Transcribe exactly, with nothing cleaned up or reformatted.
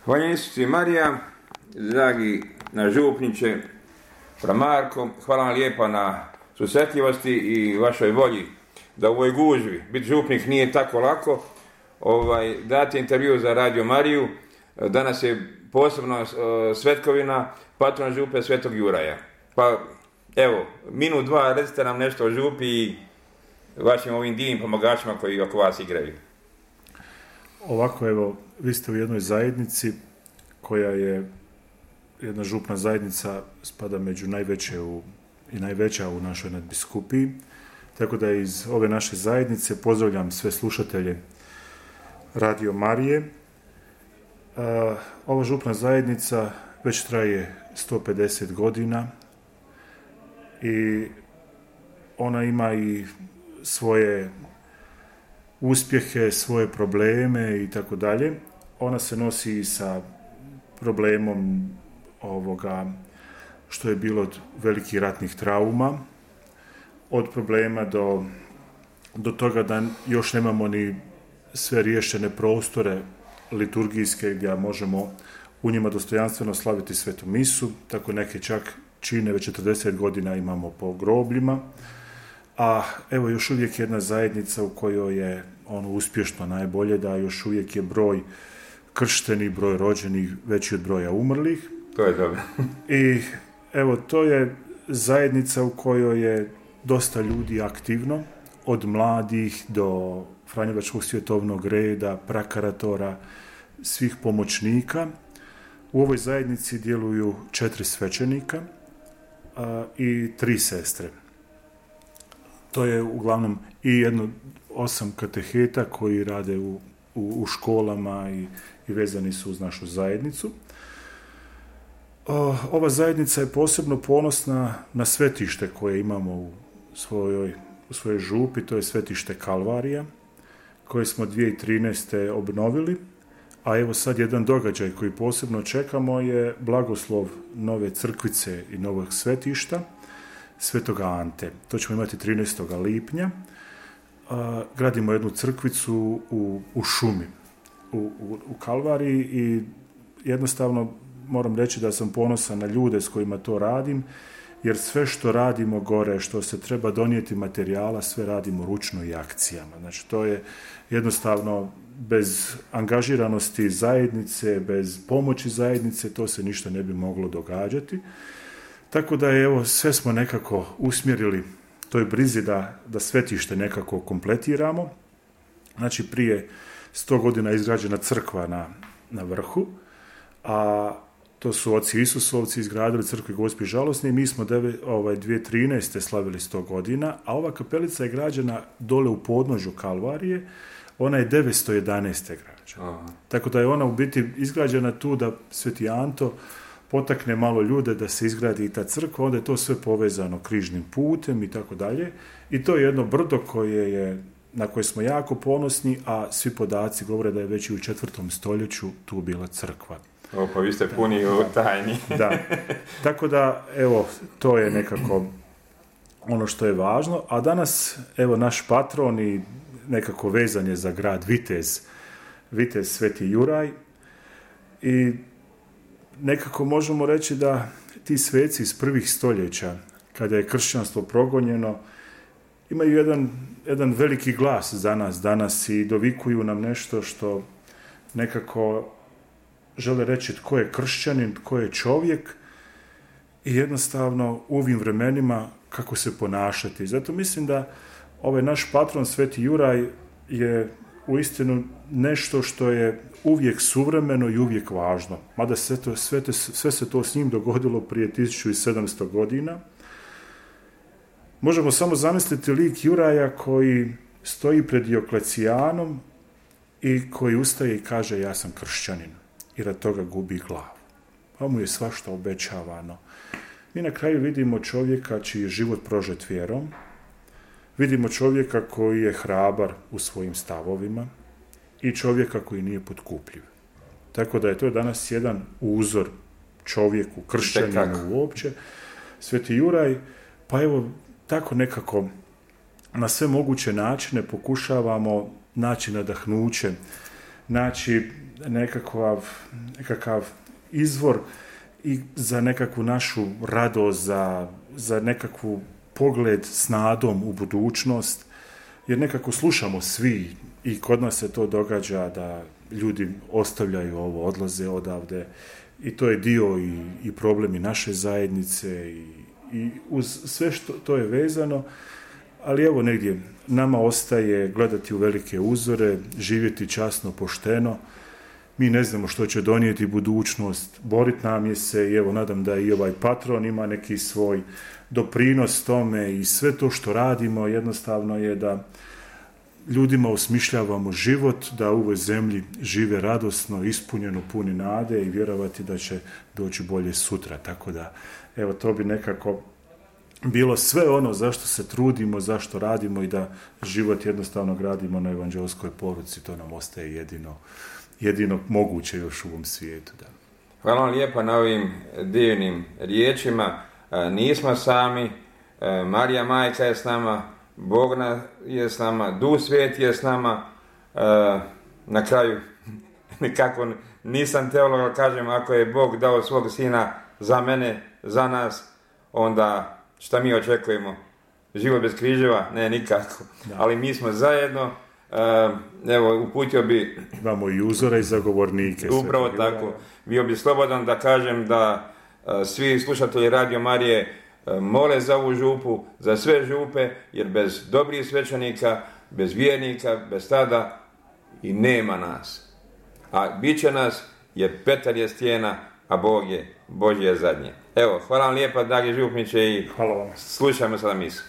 Hvala Isusu i Marija, dragi naš župniče, Marko, hvala vam lijepa na susretljivosti i vašoj volji da u ovoj gužvi, biti župnik nije tako lako, ovaj, dati intervju za Radio Mariju. Danas je posebno uh, svetkovina patrona župe Svetog Juraja. Pa evo, minut dva recite nam nešto o župi i vašim ovim divnim pomagačima koji oko vas igraju. Ovako, evo, vi ste u jednoj zajednici koja je jedna župna zajednica, spada među najveće u, i najveća u našoj nadbiskupiji. Tako da iz ove naše zajednice pozdravljam sve slušatelje Radio Marije. Uh, ova župna zajednica već traje sto pedeset godina i ona ima i svoje uspjehe, svoje probleme i tako dalje. Ona se nosi i sa problemom ovoga što je bilo od velikih ratnih trauma, od problema do, do toga da još nemamo ni sve riješene prostore liturgijske gdje možemo u njima dostojanstveno slaviti svetu misu, tako neke čak čine već četrdeset godina imamo po grobljima, a evo još uvijek jedna zajednica u kojoj je ono uspješno najbolje da još uvijek je broj krštenih, broj rođenih veći od broja umrlih. To je dobro. I evo to je zajednica u kojoj je dosta ljudi aktivno, od mladih do Franjevačkog svjetovnog reda, prakaratora, svih pomoćnika. U ovoj zajednici djeluju četiri svećenika a, i tri sestre. To je uglavnom i jedno osam kateheta koji rade u, u, u školama i, i vezani su uz našu zajednicu. O, ova zajednica je posebno ponosna na svetište koje imamo u svojoj, u svojoj župi, to je svetište Kalvarija, koje smo dvije tisuće trinaeste. obnovili, a evo sad jedan događaj koji posebno čekamo je blagoslov nove crkvice i novog svetišta, Svetoga Ante. To ćemo imati trinaestog lipnja. A, gradimo jednu crkvicu u, u šumi, u, u, u Kalvariji i jednostavno moram reći da sam ponosan na ljude s kojima to radim, jer sve što radimo gore, što se treba donijeti materijala, sve radimo ručno i akcijama. Znači, to je jednostavno bez angažiranosti zajednice, bez pomoći zajednice, to se ništa ne bi moglo događati. Tako da, evo, sve smo nekako usmjerili toj brizi da, da svetište nekako kompletiramo. Znači, prije sto godina je izgrađena crkva na, na vrhu, a to su oci Isusovci izgradili crkvi Gospi Žalosne i mi smo deve, ovaj, dvije tisuće trinaeste. slavili sto godina, a ova kapelica je građena dole u podnožju Kalvarije, ona je devetsto jedanaeste. građena. Aha. Tako da je ona u biti izgrađena tu da Sveti Anto potakne malo ljude da se izgradi i ta crkva, onda je to sve povezano križnim putem i tako dalje. I to je jedno brdo koje je, na koje smo jako ponosni, a svi podaci govore da je već i u četvrtom stoljeću tu bila crkva. O, pa vi ste puni u tajni. Da. Tako da, evo, to je nekako ono što je važno. A danas, evo, naš patron i nekako vezan je za grad Vitez, Vitez Sveti Juraj. I nekako možemo reći da ti sveci iz prvih stoljeća, kada je kršćanstvo progonjeno, imaju jedan, jedan veliki glas za nas danas i dovikuju nam nešto što nekako žele reći tko je kršćanin, tko je čovjek i jednostavno u ovim vremenima kako se ponašati. Zato mislim da ovaj naš patron Sveti Juraj je uistinu nešto što je uvijek suvremeno i uvijek važno. Mada sve, to, sve, to, sve se to s njim dogodilo prije tisuću sedamsto godina. Možemo samo zamisliti lik Juraja koji stoji pred Dioklecijanom i koji ustaje i kaže ja sam kršćanin. I rad toga gubi glavu. Pa mu je svašta obećavano. Mi na kraju vidimo čovjeka čiji je život prožet vjerom, vidimo čovjeka koji je hrabar u svojim stavovima i čovjeka koji nije potkupljiv. Tako da je to danas jedan uzor čovjeku, kršćaninu uopće. Sveti Juraj, pa evo, tako nekako na sve moguće načine pokušavamo naći nadahnuće naći nekakav, nekakav izvor i za nekakvu našu radost, za, za nekakvu pogled s nadom u budućnost, jer nekako slušamo svi i kod nas se to događa da ljudi ostavljaju ovo, odlaze odavde i to je dio i, i problemi naše zajednice i, i uz sve što to je vezano, ali evo negdje nama ostaje gledati u velike uzore, živjeti časno, pošteno. Mi ne znamo što će donijeti budućnost, borit nam je se i evo nadam da i ovaj patron ima neki svoj doprinos tome i sve to što radimo jednostavno je da ljudima osmišljavamo život, da u ovoj zemlji žive radosno, ispunjeno, puni nade i vjerovati da će doći bolje sutra. Tako da, evo, to bi nekako bilo sve ono zašto se trudimo, zašto radimo i da život jednostavno gradimo na evanđelskoj poruci. To nam ostaje jedino, jedino moguće još u ovom svijetu. Da. Hvala vam lijepa na ovim divnim riječima. Nismo sami, Marija Majka je s nama, Bog je s nama, Duh Sveti je s nama. Na kraju, nekako nisam teolog, ali kažem, ako je Bog dao svog sina za mene, za nas, onda šta mi očekujemo? Život bez križeva? Ne, nikako. Da. Ali mi smo zajedno. Evo, uputio bi... Imamo i uzore i zagovornike. Upravo tako. Bio bi slobodan da kažem da svi slušatelji Radio Marije mole za ovu župu, za sve župe, jer bez dobrih svećenika, bez vjernika, bez tada i nema nas. A bit će nas, jer Petar je stijena, a Bog je, Božje je zadnje. Evo, hvala vam lijepa, dragi župniče, i hvala vam. Slušajmo sada misu.